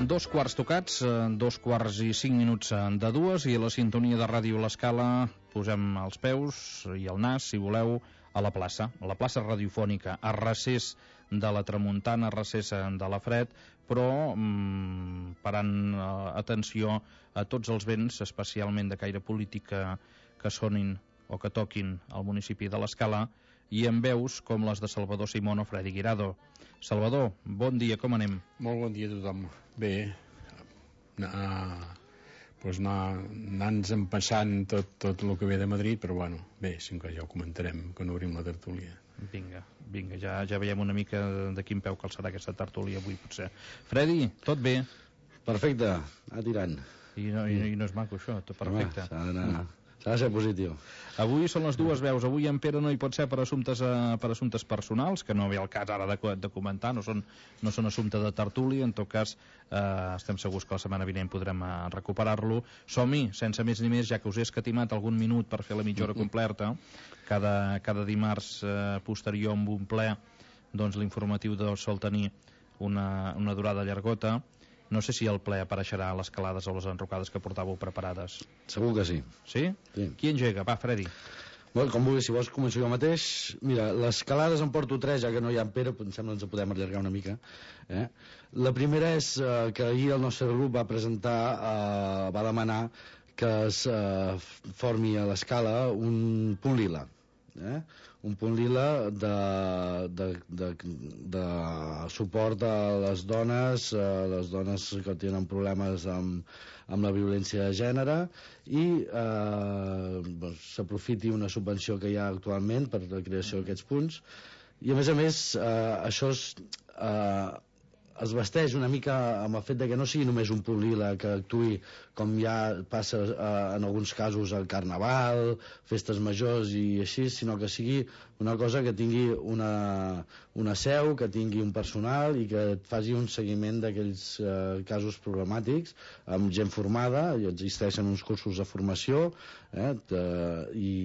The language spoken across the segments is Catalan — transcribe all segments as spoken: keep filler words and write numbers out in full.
Dos quarts tocats, dos quarts i cinc minuts de dues, i a la sintonia de Ràdio L'Escala posem els peus i el nas, si voleu, a la plaça, a la plaça radiofònica, a recés de la tramuntana, a recés de la fred, però mmm, parant eh, atenció a tots els vents, especialment de caire polític, que, que sonin o que toquin al municipi de l'Escala, i amb veus com les de Salvador Simón o Freddy Guirado. Salvador, bon dia, com anem? Molt bon dia a tothom. Bé, anar, doncs anar, anar-nos empassant tot, tot el que ve de Madrid, però bueno, bé, sempre ja ho comentarem quan obrim la tertúlia. Vinga, vinga, ja, ja veiem una mica de quin peu calçarà aquesta tertúlia avui, potser. Freddy, tot bé? Perfecte, anar tirant. I no, i, i no és maco això, tot perfecte. Home, s'ha d'anar... S'ha de ser positiu. Avui són les dues veus. Avui en Pere no hi pot ser per assumptes, eh, per assumptes personals, que no ve al cas ara de, de comentar, no són, no són assumpte de tertúlia. En tot cas, eh, estem segurs que la setmana vinent podrem eh, recuperar-lo. Som-hi, sense més ni més, ja que us he escatimat algun minut per fer la mitja hora completa. Cada, cada dimarts eh, posterior amb un ple, doncs l'informatiu de sol tenir una, una durada llargota. No sé si el ple apareixerà a les calades o les enrocades que portàveu preparades. Segur que sí. Sí? Sí. Qui engega? Va, Freddy. Bueno, com vulguis, si vols començo jo mateix. Mira, les calades en porto tres, ja que no hi ha en Pere, em sembla que ens podem allargar una mica. Eh? La primera és eh, que ahir el nostre grup va presentar, eh, va demanar que es eh, formi a l'Escala un punt lila. Eh? Un punt lila de, de, de, de suport a les dones, a les dones que tenen problemes amb, amb la violència de gènere, i eh, doncs, s'aprofiti una subvenció que hi ha actualment per la creació d'aquests punts, i a més a més eh, això és, eh, es vesteix una mica amb el fet de que no sigui només un punt lila que actuï com ja passa eh, en alguns casos al Carnaval, festes majors i així, sinó que sigui una cosa que tingui una, una seu, que tingui un personal i que et faci un seguiment d'aquells eh, casos problemàtics amb gent formada, i existeixen uns cursos de formació eh, de, i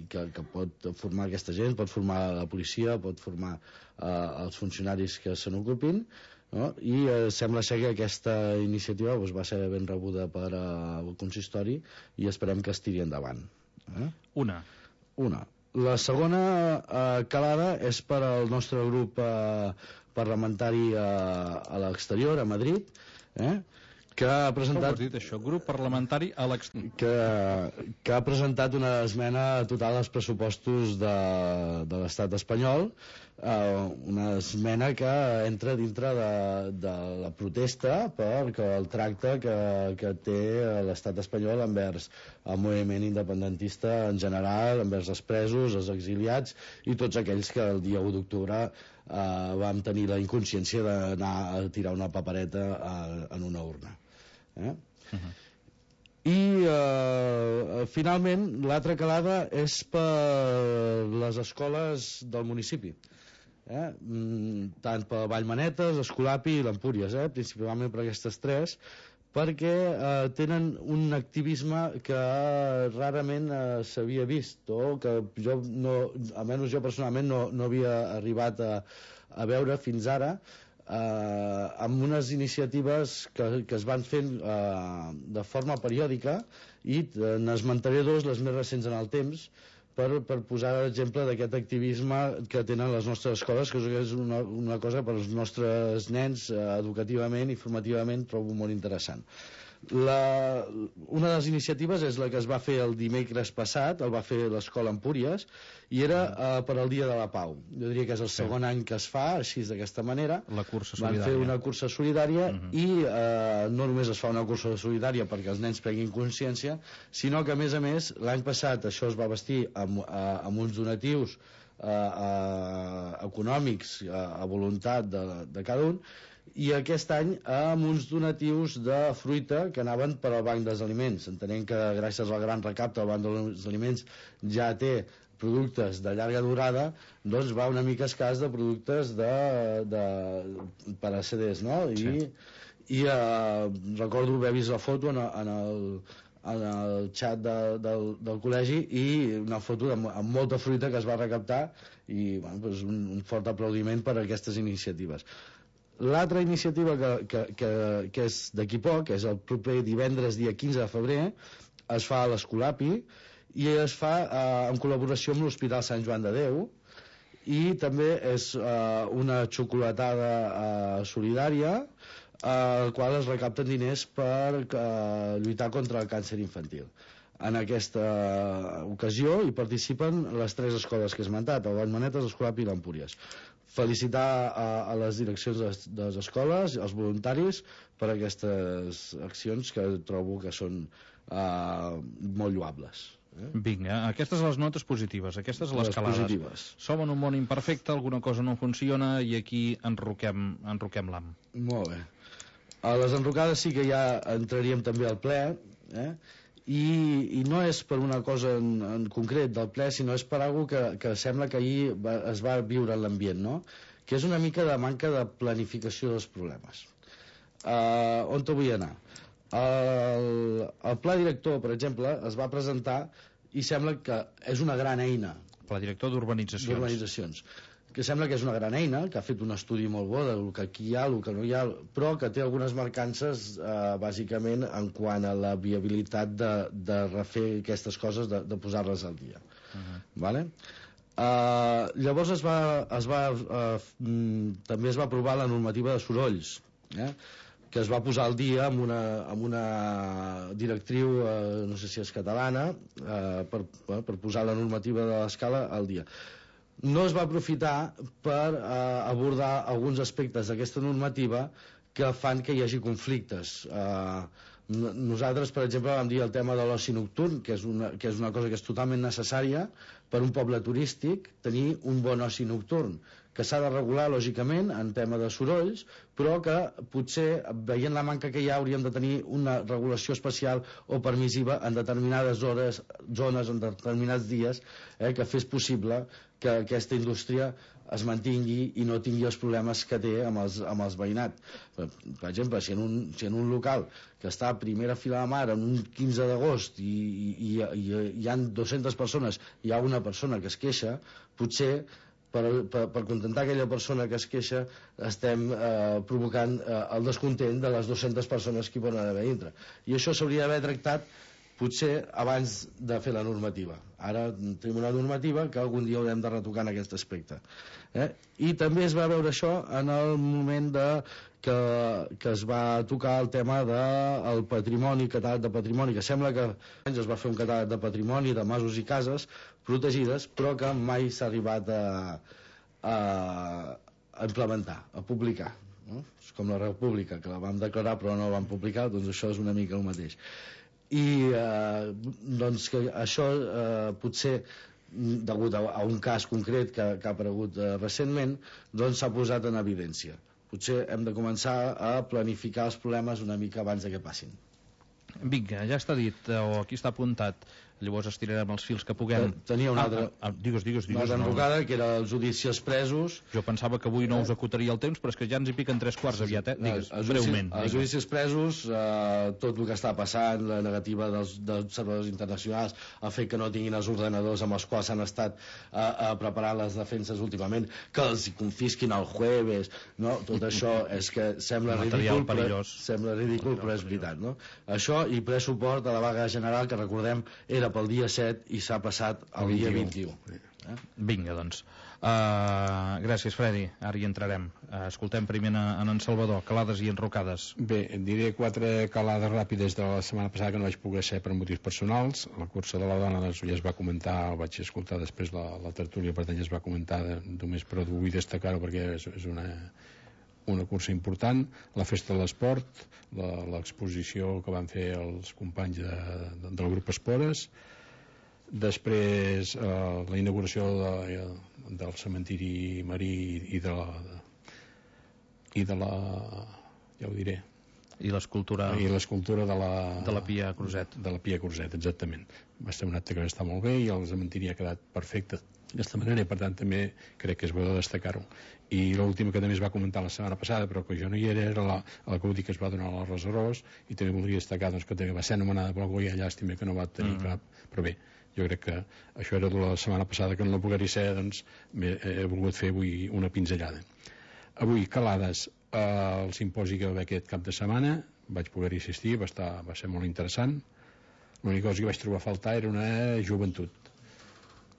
que, que pot formar aquesta gent, pot formar la policia, pot formar eh, els funcionaris que se n'ocupin, no? I eh, sembla ser que aquesta iniciativa doncs, va ser ben rebuda per eh, el consistori i esperem que es tiri endavant. Eh? Una. Una. La segona eh, calada és per al nostre grup eh, parlamentari eh, a l'exterior, a Madrid, eh? que ha presentat... Com has dit això? Grup parlamentari a l'exterior. Que, que ha presentat una esmena total als pressupostos de, de l'estat espanyol, eh, una esmena que entra dintre de, de la protesta per el tracte que, que té l'estat espanyol envers el moviment independentista en general, envers els presos, els exiliats i tots aquells que el dia u d'octubre eh, vam tenir la inconsciència d'anar a tirar una papereta eh, en una urna. Eh? Uh-huh. I eh, finalment l'altra calada és per les escoles del municipi, eh? mm, tant per Vallmanetes, Escolapi i l'Empúries, eh? principalment per aquestes tres, perquè eh, tenen un activisme que rarament eh, s'havia vist, o que jo no, almenys jo personalment no, no havia arribat a, a veure fins ara, eh, amb unes iniciatives que, que es van fent eh, de forma periòdica, i eh, n'esmentaré dos, les més recents en el temps, per, per posar l'exemple d'aquest activisme que tenen les nostres escoles, que és una, una cosa per als nostres nens eh, educativament i formativament trobo molt interessant. La, una de les iniciatives és la que es va fer el dimecres passat, el va fer l'escola Empúries, i era uh, per al Dia de la Pau. Jo diria que és el segon sí. any que es fa així d'aquesta manera. La cursa solidària. Van fer una cursa solidària uh-huh. i uh, no només es fa una cursa solidària perquè els nens prenguin consciència, sinó que a més a més l'any passat això es va vestir amb, uh, amb uns donatius uh, uh, econòmics uh, a voluntat de, de cada un, i aquest any amb uns donatius de fruita que anaven per al Banc dels Aliments, entenent que gràcies al gran recapte el Banc dels Aliments ja té productes de llarga durada, doncs va una mica escàs de productes de, de, per a C Ds, no? I, sí. i uh, recordo haver vist la foto en, en el en el xat de, del, del col·legi, i una foto amb, amb molta fruita que es va recaptar, i bueno, doncs un, un fort aplaudiment per a aquestes iniciatives. L'altra iniciativa que, que, que, que és d'aquí poc, és el proper divendres dia quinze de febrer, es fa a l'Escolapi i es fa eh, en col·laboració amb l'Hospital Sant Joan de Déu, i també és eh, una xocolatada eh, solidària al qual es recapten diners per eh, lluitar contra el càncer infantil. En aquesta ocasió hi participen les tres escoles que he esmentat, el Vallmanetes, l'Escolapi i l'Empúries. Felicitar a, a les direccions de, de les escoles, als voluntaris, per aquestes accions que trobo que són eh, molt lloables. Eh? Vinga, aquestes les notes positives, aquestes les calades. Positives. Som en un món imperfecte, alguna cosa no funciona i aquí enroquem, enroquem l'am. Molt bé. A les enrocades sí que ja entraríem també al ple, eh? I, i no és per una cosa en, en concret del ple, sinó és per alguna que, que sembla que ahir va, es va viure en l'ambient, no? Que és una mica de manca de planificació dels problemes. Uh, on te vull anar? El, el pla director, per exemple, es va presentar i sembla que és una gran eina. Pla director d'urbanitzacions. D'urbanitzacions. Que sembla que és una gran eina, que ha fet un estudi molt bo del que aquí hi ha, el que no hi ha, però que té algunes mancances eh, bàsicament en quant a la viabilitat de, de refer aquestes coses, de, de posar-les al dia. Uh-huh. Vale? Uh, llavors es va, es va uh, també es va aprovar la normativa de sorolls, eh? Que es va posar al dia amb una, amb una directriu, eh, no sé si és catalana, eh, per, per posar la normativa de l'escala al dia. No es va aprofitar per eh, abordar alguns aspectes d'aquesta normativa que fan que hi hagi conflictes. Eh, nosaltres, per exemple, vam dir el tema de l'oci nocturn, que és, una, que és una cosa que és totalment necessària per un poble turístic, tenir un bon oci nocturn, que s'ha de regular, lògicament, en tema de sorolls, però que potser, veient la manca que hi ha, hauríem de tenir una regulació especial o permissiva en determinades hores, zones, en determinats dies, eh, que fes possible que aquesta indústria es mantingui i no tingui els problemes que té amb els, amb els veïnats. Per, per exemple, si en, un, si en un local que està a primera fila de mar en un quinze d'agost i, i, i, i hi han dues-centes persones, hi ha una persona que es queixa, potser per, per, per contentar aquella persona que es queixa estem eh, provocant eh, el descontent de les dues-centes persones que hi poden haver dintre. I això s'hauria d'haver tractat potser abans de fer la normativa. Ara tenim una normativa que algun dia haurem de retocar en aquest aspecte. Eh? I també es va veure això en el moment de, que, que es va tocar el tema del patrimoni, catàleg de patrimoni, que sembla que es va fer un catàleg de patrimoni de masos i cases protegides, però que mai s'ha arribat a, a, a implementar, a publicar. No? És com la República, que la vam declarar però no la vam publicar, doncs això és una mica el mateix. I eh, doncs que això eh, potser degut a, a un cas concret que, que ha aparegut eh, recentment, doncs s'ha posat en evidència. Potser hem de començar a planificar els problemes una mica abans de que passin. Vinga, ja està dit, o aquí està apuntat. Llavors estirarem els fils que puguem. Tenia una altra, ah, ah, digues, digues, digues, una altra enrocada, no. Que era els judicis presos. Jo pensava que avui no us acotaria el temps, però és que ja ens hi piquen tres quarts aviat, eh? Digues, no, breument. Els judicis presos, eh, tot el que està passant, la negativa dels, dels observadors internacionals, el fet que no tinguin els ordenadors amb els quals s'han estat eh, a preparar les defenses últimament, que els confisquin el jueves, no? Tot això és que sembla ridícul, però, sembla ridícul, però és veritat, no? Això i ple suport a la vaga general, que recordem era pel dia set i s'ha passat al dia vint-i-u. Eh? Vinga, doncs. Uh, gràcies, Fredi. Ara hi entrarem. Uh, escoltem primer en en Salvador. Calades i enrocades. Bé, et diré quatre calades ràpides de la setmana passada que no vaig poder ser per motius personals. La cursa de la dona doncs, ja es va comentar, el vaig escoltar després la, la tertúlia, per tant ja es va comentar de, només, però vull destacar-ho perquè és, és una una cursa important, la festa de l'esport, l'exposició que van fer els companys de, de, del grup Espores, després eh, la inauguració de, del cementiri marí i de la de, i de la ja ho diré i l'escultura i l'escultura de la de la Pia Cruzet de la Pia Cruzet, exactament. Va ser un acte que va estar molt bé i el cementiri ha quedat perfecte d'aquesta manera i per tant també crec que és bo de destacar-ho. I l'última que també es va comentar la setmana passada però que jo no hi era, era la, la C U D I que es va donar a la Resarós i també voldria destacar doncs, que també va ser anomenada per algú i llàstima que no va tenir mm. cap, però bé, jo crec que això era de la setmana passada que no la pogués ser, doncs he, he volgut fer avui una pinzellada. Avui, calades, Uh, el simposi que va haver aquest cap de setmana vaig poder-hi assistir, va, estar, va ser molt interessant. L'única cosa que vaig trobar a faltar era una joventut.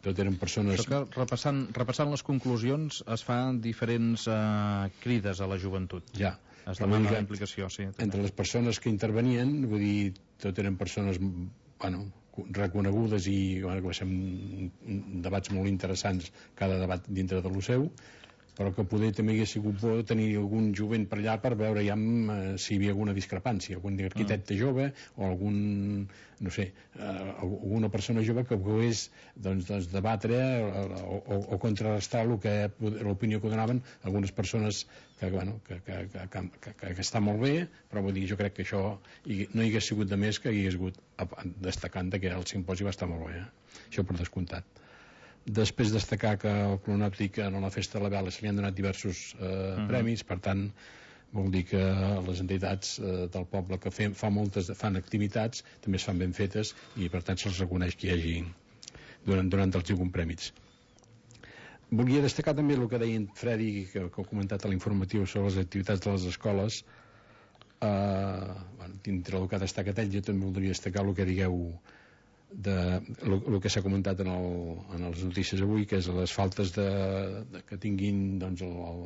Tot eren persones... Això que repassant, repassant les conclusions es fan diferents uh, crides a la joventut. Ja. Es demana la implicació, sí. També. Entre les persones que intervenien, vull dir, tot eren persones, bueno, reconegudes i bueno, que va ser un, debats molt interessants, cada debat dintre de lo seu, però que poder també hagués sigut bo tenir algun jovent per allà per veure ja eh, si hi havia alguna discrepància, algun arquitecte mm. jove o algun, no sé, eh, alguna persona jove que pogués doncs, doncs, debatre o, o, o contrarrestar l'opinió que donaven algunes persones que, bueno, que, que, que, que, que, que està molt bé, però vull dir, jo crec que això no hi hagués sigut de més que hi hagués hagut destacant que el simposi va estar molt bé, eh? Això per descomptat. Després destacar que el Clonòptic en la Festa de la Vela se li han donat diversos eh, uh-huh. premis, per tant vol dir que les entitats eh, del poble que fem, fa moltes, fan activitats també es fan ben fetes i per tant se'ls reconeix que hi hagi donant, donant els algun premis. Volia destacar també el que deia en Fredi, que, que ha comentat a l'informatiu sobre les activitats de les escoles. eh, bueno, dintre el que ha destacat ell, jo també voldria destacar el que digueu de el que s'ha comentat en, el, en les notícies avui, que és les faltes de, de que tinguin doncs, el, el,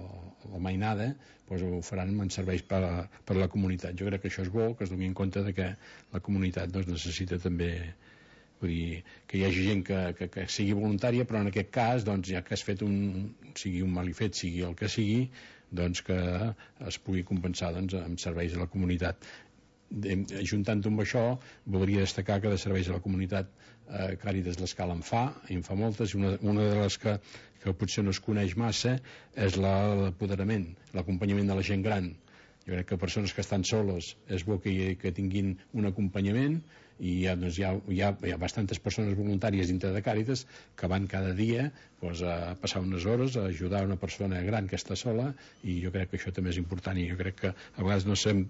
la mainada, doncs ho faran en serveis per a, per a la comunitat. Jo crec que això és bo, que es doni en compte de que la comunitat doncs, necessita també, vull dir, que hi hagi gent que, que, que sigui voluntària, però en aquest cas, doncs, ja que has fet un, sigui un malifet, sigui el que sigui, doncs que es pugui compensar doncs, amb serveis a la comunitat. Ajuntant-ho amb això, voldria destacar que de serveis a la comunitat eh, Càritas l'Escala en fa, en fa moltes, una, una de les que, que potser no es coneix massa és l'apoderament, l'acompanyament de la gent gran. Jo crec que persones que estan soles és bo que, que tinguin un acompanyament i hi ha, doncs, hi, ha, hi, ha, hi ha bastantes persones voluntàries dintre de Càritas que van cada dia doncs, a passar unes hores a ajudar una persona gran que està sola, i jo crec que això també és important, i jo crec que a vegades no sabem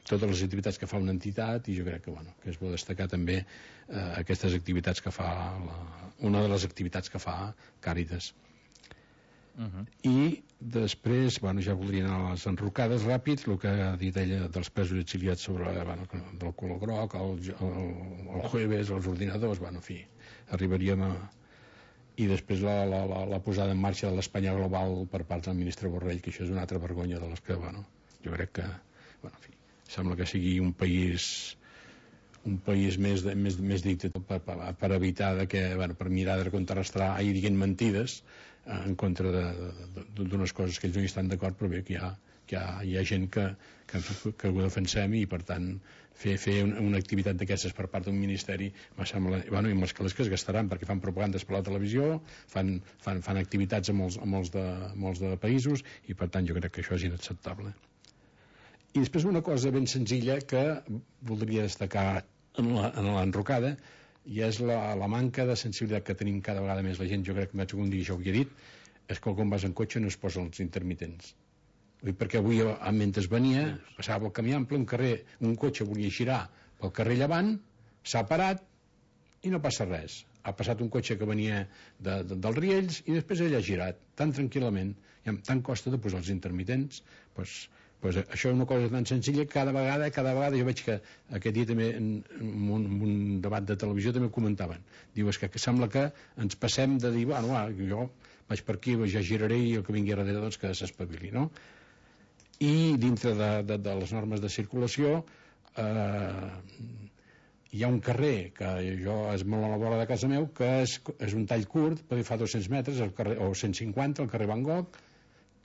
totes les activitats que fa una entitat, i jo crec que, bueno, que és bo destacar també eh, aquestes activitats que fa la, una de les activitats que fa Càritas. Uh-huh. I després, bueno, ja voldria anar a les enrocades ràpid, el que ha dit ella dels presos exiliats sobre, bueno, del color groc, el, el, el jueves, els ordinadors, bueno, en fi, arribaríem a... I després la, la, la, la posada en marxa de l'Espanya global per part del ministre Borrell, que això és una altra vergonya de les que, bueno, jo crec que, bueno, en fi, sembla que sigui un país un país més, de, més, més dictat per, per, per evitar de que, bueno, per mirar de contrarrestar i diguin mentides eh, en contra d'unes coses que ells no hi estan d'acord, però bé que hi ha, que hi ha, hi ha gent que, que, que ho defensem, i per tant fer, fer una, una activitat d'aquestes per part d'un ministeri me sembla, bueno, i amb els calés que es gastaran, perquè fan propagandes per la televisió, fan, fan, fan activitats a molts, a molts, de, molts de països, i per tant jo crec que això és inacceptable. I després una cosa ben senzilla que voldria destacar en l'enrocada, i és la, la manca de sensibilitat que tenim cada vegada més la gent. Jo crec que un dia jo ho he dit, és que quan vas en cotxe no es posen els intermitents. Perquè avui, mentre venia, passava el camí ample, un carrer, un cotxe volia girar pel carrer Llevant, s'ha parat i no passa res. Ha passat un cotxe que venia de, de, dels Riells i després ell ha girat tan tranquil·lament, i amb tant costa de posar els intermitents, doncs pues això és una cosa tan senzilla que cada vegada, cada vegada jo veig que aquest dia també en, en, un, en un debat de televisió també ho comentaven. Diu, és que, que sembla que ens passem de dir, bueno, va, jo vaig per aquí, ja giraré i el que vingui darrere doncs que s'espavili, no? I dintre de, de, de les normes de circulació eh, hi ha un carrer que jo és molt a la vora de casa meu, que és, és un tall curt, perquè fa dos-cents metres el carrer, o cent cinquanta, el carrer Van Gogh,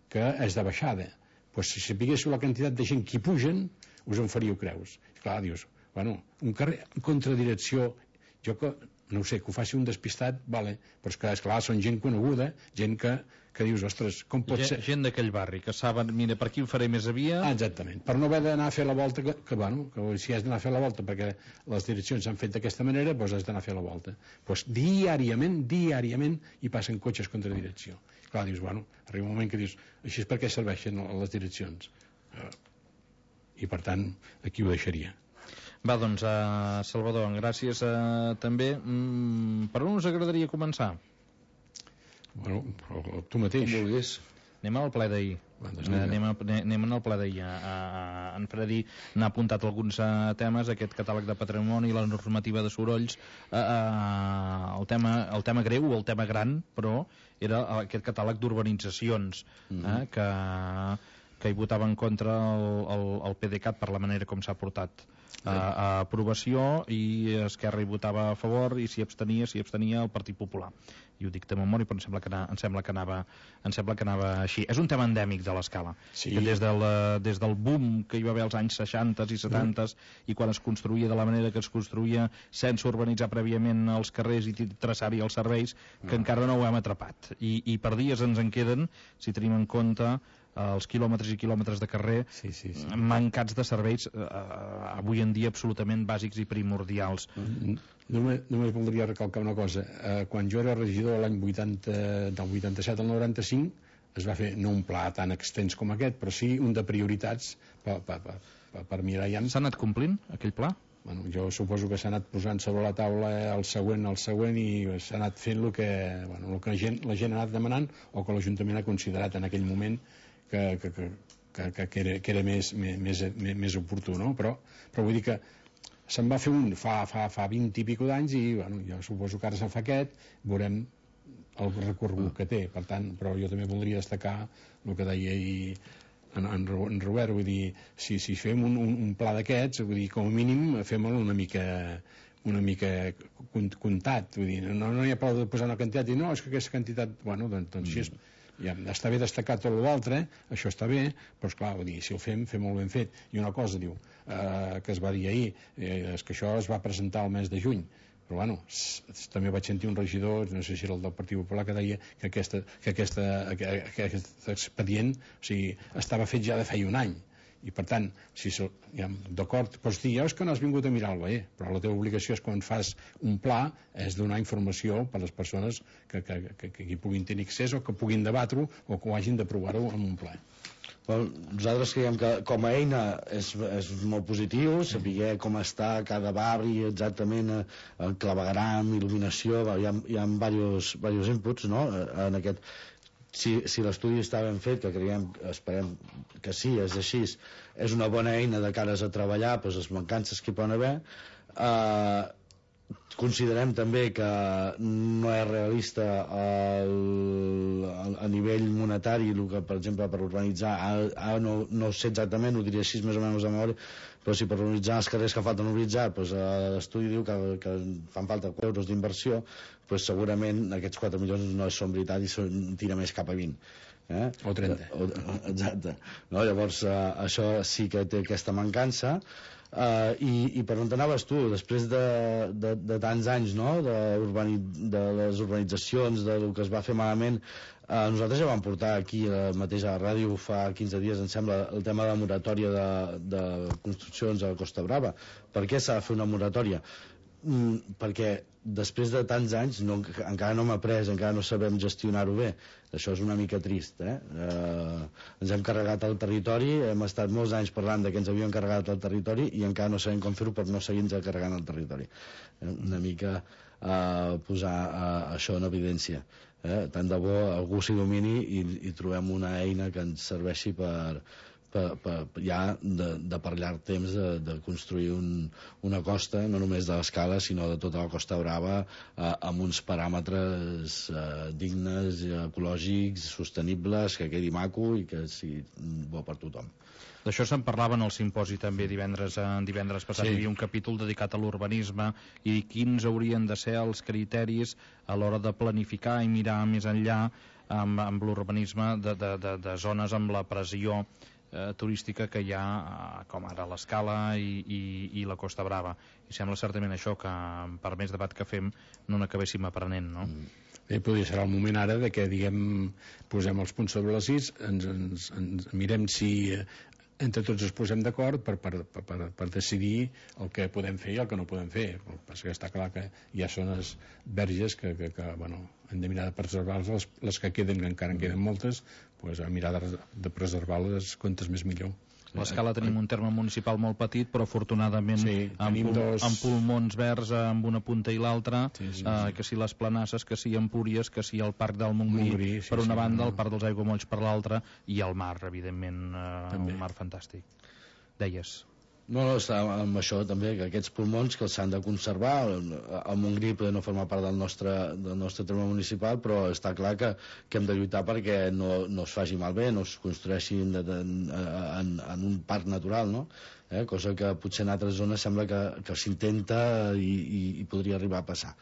que és de baixada. Pues si sapiguéssiu la quantitat de gent que hi pugen, us en faríeu creus. I clar, dius, bueno, un carrer en contradirecció, jo que, no ho sé, que ho faci un despistat, vale, però és que, esclar, són gent coneguda, gent que, que dius, ostres, com pot gent, ser... Gent d'aquell barri, que saben, mira, per aquí ho faré més via... Ah, exactament, per no haver d'anar a fer la volta, que, que bueno, que si has d'anar a fer la volta perquè les direccions s'han fet d'aquesta manera, doncs has d'anar a fer la volta. Doncs diàriament, diàriament, hi passen cotxes contra direcció. Clar, dius, bueno, arriba un moment que dius, així és per què serveixen les direccions. Uh, I per tant, aquí ho deixaria. Va, doncs, uh, Salvador, gràcies uh, també. Mm, per on us agradaria començar? Bueno, tu mateix. Com vulguis. Anem al ple d'ahir. Doncs Eh, anem, a, anem al ple d'ahir. A, a, en Freddy n'ha apuntat alguns uh, temes, aquest catàleg de patrimoni, la normativa de sorolls, uh, uh, el, tema, el tema greu o el tema gran, però era aquest catàleg d'urbanitzacions, mm-hmm. eh, que, que hi votava en contra el, el, el PDeCAT per la manera com s'ha portat a, a aprovació, i Esquerra hi votava a favor, i s'hi abstenia, s'hi abstenia el Partit Popular. I ho dic de memòria, però em sembla que, anava, em sembla que, anava, em sembla que anava així. És un tema endèmic de l'Escala, sí. Que des del, des del boom que hi va haver als anys seixanta i setanta, mm. i quan es construïa de la manera que es construïa sense urbanitzar prèviament els carrers i traçar-hi els serveis, que mm. encara no ho hem atrapat. I, I per dies ens en queden, si tenim en compte els quilòmetres i quilòmetres de carrer sí, sí, sí. mancats de serveis eh, avui en dia absolutament bàsics i primordials. Mm-hmm. Només, només voldria recalcar una cosa. Eh, quan jo era regidor l'any vuitanta, del vuitanta-set al noranta-cinc, es va fer no un pla tan extens com aquest, però sí un de prioritats per, per, per, per, per mirar ja. S'ha anat complint aquell pla? Bueno, jo suposo que s'ha anat posant sobre la taula el següent, el següent, i s'ha anat fent el que, bueno, el que la, gent, la gent ha anat demanant, o que l'Ajuntament ha considerat en aquell moment que, que, que, que, que era, que era més, més, més, més oportú, no? Però, però vull dir que se'n va fer un fa, fa, fa vint i pico d'anys, i bueno, jo suposo que ara se'n fa aquest, veurem el recorregut que té. Per tant, però jo també voldria destacar el que deia ahir en, en, en Robert, vull dir, si, si fem un, un, un pla d'aquests, vull dir, com a mínim fem-lo una mica una mica comptat, vull dir, no, no hi ha prou de posar una quantitat i no, és que aquesta quantitat, bueno, doncs, doncs si és, ja està bé destacar tot l'altre, això està bé, però esclar, vull dir, si el fem, fem molt ben fet. I una cosa, diu, eh, que es va dir ahir, eh, és que això es va presentar el mes de juny, però bueno, s, s, també vaig sentir un regidor, no sé si era el del Partit Popular, que deia que, aquesta, que, aquesta, que, que aquest expedient, o sigui, estava fet ja de feia un any. I per tant, si ja, d'acord, pots dir, ja és que no has vingut a mirar-lo, eh? Però la teva obligació és, quan fas un pla, és donar informació per a les persones que, que, que, que hi puguin tenir accés, o que puguin debatre-ho, o que ho hagin d'aprovar-ho en un ple. Well, nosaltres creiem que com a eina és, és molt positiu, saber com està cada barri exactament, el clavegueram, il·luminació, hi ha, hi ha diversos, diversos inputs, no?, en aquest. Si, si l'estudi està ben fet, que creiem, esperem que sí, és així, és una bona eina de cares a treballar, doncs les mancances que hi poden haver. Eh, considerem també que no és realista el, el, a nivell monetari el que, per exemple, per urbanitzar, ara no, no sé exactament, ho diria així més o menys a memòria, però si per urbanitzar els carrers que falten urbanitzar, doncs, l'estudi diu que, que fan falta quatre euros d'inversió, doncs segurament aquests quatre milions no són veritat i són, tira més cap a vint. Eh? O trenta. O, exacte. No? Llavors, eh, això sí que té aquesta mancança. Uh, i, i per on t'anaves tu, després de, de, de tants anys, no?, de, urbani, de les urbanitzacions, de lo que es va fer malament, uh, nosaltres ja vam portar aquí uh, mateix a la ràdio fa quinze dies, em sembla, el tema de la moratòria de, de construccions a Costa Brava. Per què s'ha de fer una moratòria? Mm, perquè després de tants anys no, encara no hem après, encara no sabem gestionar-ho bé. Això és una mica trist, eh? Eh, ens hem carregat el territori, hem estat molts anys parlant de que ens havíem carregat el territori i encara no sabem com fer-ho per no seguir-nos carregant el territori. Eh, una mica eh, posar eh, això en evidència. Eh? Tant de bo algú s'hi domini i, i trobem una eina que ens serveixi per Per, per, ja de, de per llarg temps de, de construir un, una costa, no només de l'Escala sinó de tota la Costa Brava, eh, amb uns paràmetres eh, dignes, ecològics, sostenibles, que quedi maco i que sigui bo per tothom. D'això se'n parlava en el simposi també divendres, eh, divendres passat. Sí. Hi havia un capítol dedicat a l'urbanisme i quins haurien de ser els criteris a l'hora de planificar i mirar més enllà amb, amb l'urbanisme de, de, de, de zones amb la pressió Eh, turística que hi ha, eh, com ara l'Escala i, i, i la Costa Brava. I sembla certament això que, per més debat que fem, no n'acabéssim aprenent, no? Mm. Bé, podria ser el moment ara de que, diguem, posem els punts sobre les is, ens, ens, ens mirem si entre tots ens posem d'acord per, per, per, per, per decidir el que podem fer i el que no podem fer. Perquè està clar que hi ha zones verges que, que, que bueno, hem de mirar de preservar-les, les, les que queden, que encara en queden moltes, pues, a mirar de, de preservar-les quantes més millor. L'Escala tenim un terme municipal molt petit, però afortunadament sí, amb, pul dos... amb pulmons verds amb una punta i l'altra, sí, sí, sí. eh, que si les Planasses, que si Empúries, que si el Parc del Montgrí, Montgrí sí, per una sí, banda, no. el Parc dels Aiguamolls per l'altra, i el mar, evidentment, eh, un mar fantàstic. Deies... No, no, està amb això també, que aquests pulmons que s'han de conservar. El Montgrí poder no formar part del nostre, del nostre terme municipal, però està clar que, que hem de lluitar perquè no, no es faci malbé, no es construeixi en, en, en, en un parc natural, no? Eh? Cosa que potser en altres zones sembla que, que s'intenta i, i, i podria arribar a passar.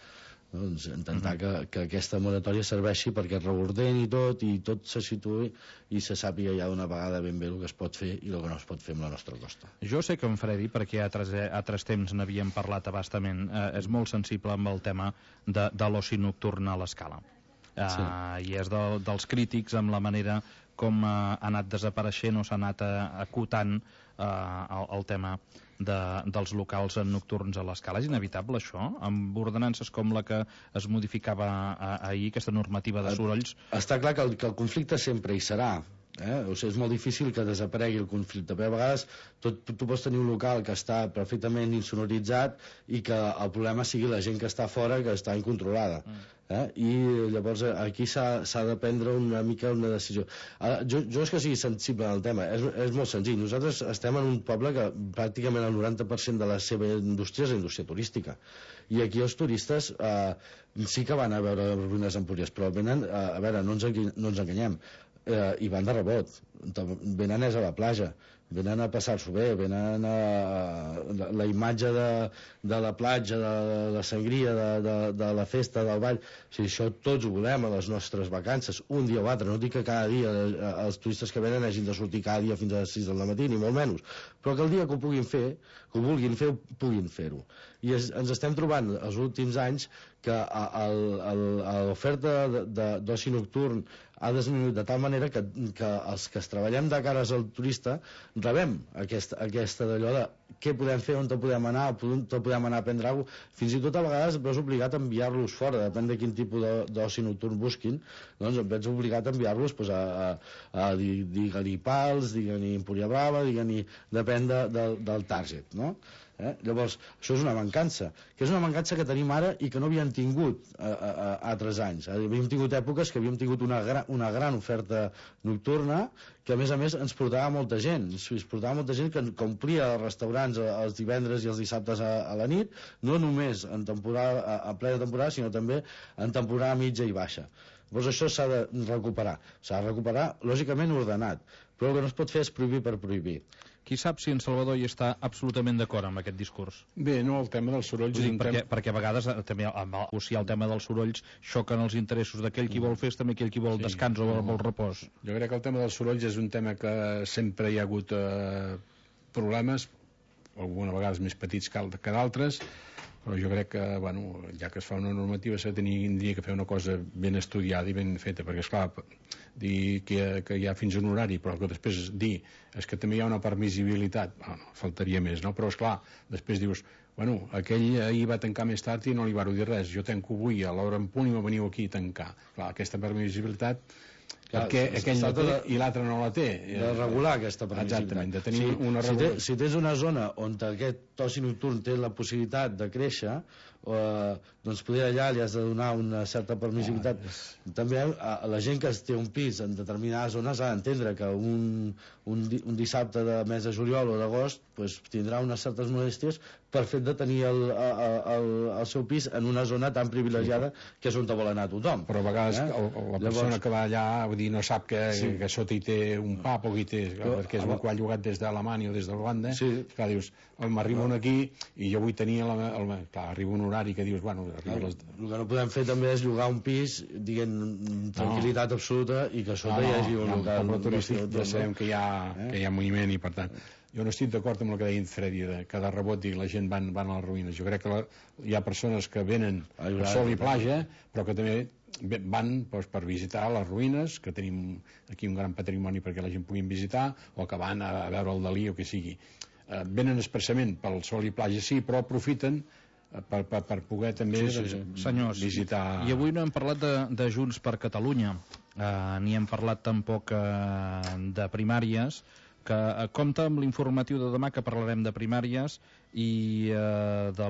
No? Doncs intentar que, que aquesta moratòria serveixi perquè es reordeni tot i tot se situï i se sàpiga ja d'una vegada ben bé el que es pot fer i el que no es pot fer amb la nostra costa. Jo sé que en Fredi, perquè a altres, a altres temps n'havíem parlat abastament, eh, és molt sensible amb el tema de, de l'oci nocturn a l'Escala. Uh, sí. I és de, dels crítics amb la manera com uh, ha anat desapareixent o s'ha anat uh, acotant uh, el, el tema de, dels locals nocturns a l'Escala. És inevitable això? Amb ordenances com la que es modificava uh, ahir, aquesta normativa de sorolls? Està clar que el, que el conflicte sempre hi serà. Eh? O sigui, és molt difícil que desaparegui el conflicte, però a vegades tot, tu, tu pots tenir un local que està perfectament insonoritzat i que el problema sigui la gent que està fora, que està incontrolada. Mm. Eh? I llavors aquí s'ha de prendre una mica una decisió. Uh, jo, jo és que sigui sensible al tema, és, és molt senzill. Nosaltres estem en un poble que pràcticament el noranta per cent de la seva indústria és la indústria turística, i aquí els turistes uh, sí que van a veure les ruïnes Empúries, però venen, uh, a veure, no ens, no ens enganyem, eh, i van de rebot, venen és a la platja, venen a passar-s'ho bé, venen a, a la, la imatge de, de la platja, de, de la sangria, de, de, de la festa, del ball. O sigui, això tots ho volem a les nostres vacances, un dia o altre. No dic que cada dia els turistes que venen hagin de sortir cada dia fins a les sis del matí, ni molt menys, però que el dia que ho puguin fer, que ho vulguin fer, puguin fer-ho. I es, ens estem trobant els últims anys que l'oferta d'oci nocturn ha disminuït de tal manera que, que els que es treballem de cares al turista rebem aquesta, aquesta d'allò de què podem fer, on te podem anar, on te podem anar a prendre alguna cosa. Fins i tot a vegades et veus obligat a enviar-los fora, depèn de quin tipus d'oci nocturn busquin, doncs et veus obligat a enviar-los pues, a, a, a digue-li Pals, digue-li Empúria Brava, digue-li, depèn de, de, del target, no? Eh? Llavors, això és una mancança, que és una mancança que tenim ara i que no havíem tingut a, a, a altres anys. Havíem tingut èpoques que havíem tingut una, gra, una gran oferta nocturna que a més a més ens portava molta gent, ens portava molta gent que, que omplia els restaurants els divendres i els dissabtes a, a la nit, no només en temporada, a, a plena temporada, sinó també en temporada mitja i baixa. Llavors això s'ha de recuperar, s'ha de recuperar lògicament ordenat, però el que no es pot fer és prohibir per prohibir. Qui sap si en Salvador hi està absolutament d'acord amb aquest discurs? Bé, no, el tema dels sorolls... Dic, perquè, tema... perquè a vegades també amb el, si el tema dels sorolls xoquen els interessos d'aquell qui vol festa amb aquell qui vol sí, descans o no, vol repòs. Jo crec que el tema dels sorolls és un tema que sempre hi ha hagut eh, problemes, algunes vegades més petits que, que d'altres, però jo crec que, bueno, ja que es fa una normativa s'ha de tenir que fer una cosa ben estudiada i ben feta, perquè esclar, dir que, que hi ha fins un horari, però que després dir és que també hi ha una permissibilitat, bueno, faltaria més, no? Però esclar, després dius, bueno, aquell ahir va tancar més tard i no li varo dir res, jo tanco avui a l'hora en punt i me veniu aquí a tancar. Clar, aquesta permissibilitat Clar, perquè aquell no té de, i l'altre no la té. De regular aquesta permissibilitat. Exactament, de tenir sí, una regulació. Si, si tens una zona on aquest oci nocturn té la possibilitat de créixer, eh, doncs poder allà li has de donar una certa permissibilitat. Ah, és... També a, a la gent que té un pis en determinades zones ha d'entendre que un, un, un dissabte de mes de juliol o d'agost pues, tindrà unes certes molèsties per fet de tenir el, el, el, el seu pis en una zona tan privilegiada sí, que és on vol anar tothom. Però a vegades eh? el, la persona Llavors, que va allà vull dir, no sap que, sí. que sota hi té un pub o hi té, però, perquè és un que ha llogat des d'Alemanya o des de Holanda, sí. Clar, dius, m'arriba un aquí i jo vull tenir el, el, clar, arriba un horari que dius, bueno, arriba les... El que no podem fer també és llogar un pis diguem, tranquil·litat no. absoluta i que sota no, hi hagi un no, local no, turístic, ja sabem que hi ha, eh? que hi ha moviment i per tant jo no estic d'acord amb el que deia en Fredi, de cada rebot i la gent van, van a les ruïnes. Jo crec que la, hi ha persones que venen a sol i platja, però que també van doncs, per visitar les ruïnes, que tenim aquí un gran patrimoni perquè la gent pugui visitar, o que van a, a veure el Dalí o que sigui. Eh, venen expressament pel sol i platja, sí, però aprofiten per, per, per poder també sí, sí, sí. Doncs, senyors, visitar... I avui no hem parlat de, de Junts per Catalunya, eh, ni hem parlat tampoc eh, de primàries, que eh, compta amb l'informatiu de demà, que parlarem de primàries, i eh, de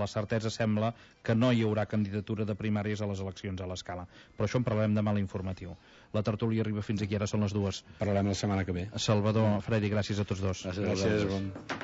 la certesa sembla que no hi haurà candidatura de primàries a les eleccions a l'Escala, però això en parlarem demà a l'informatiu. La tertúlia arriba fins aquí, ara són les dues. Parlarem la setmana que ve. Salvador, Fredi, gràcies a tots dos. Gràcies, Gràcies, gràcies. bon...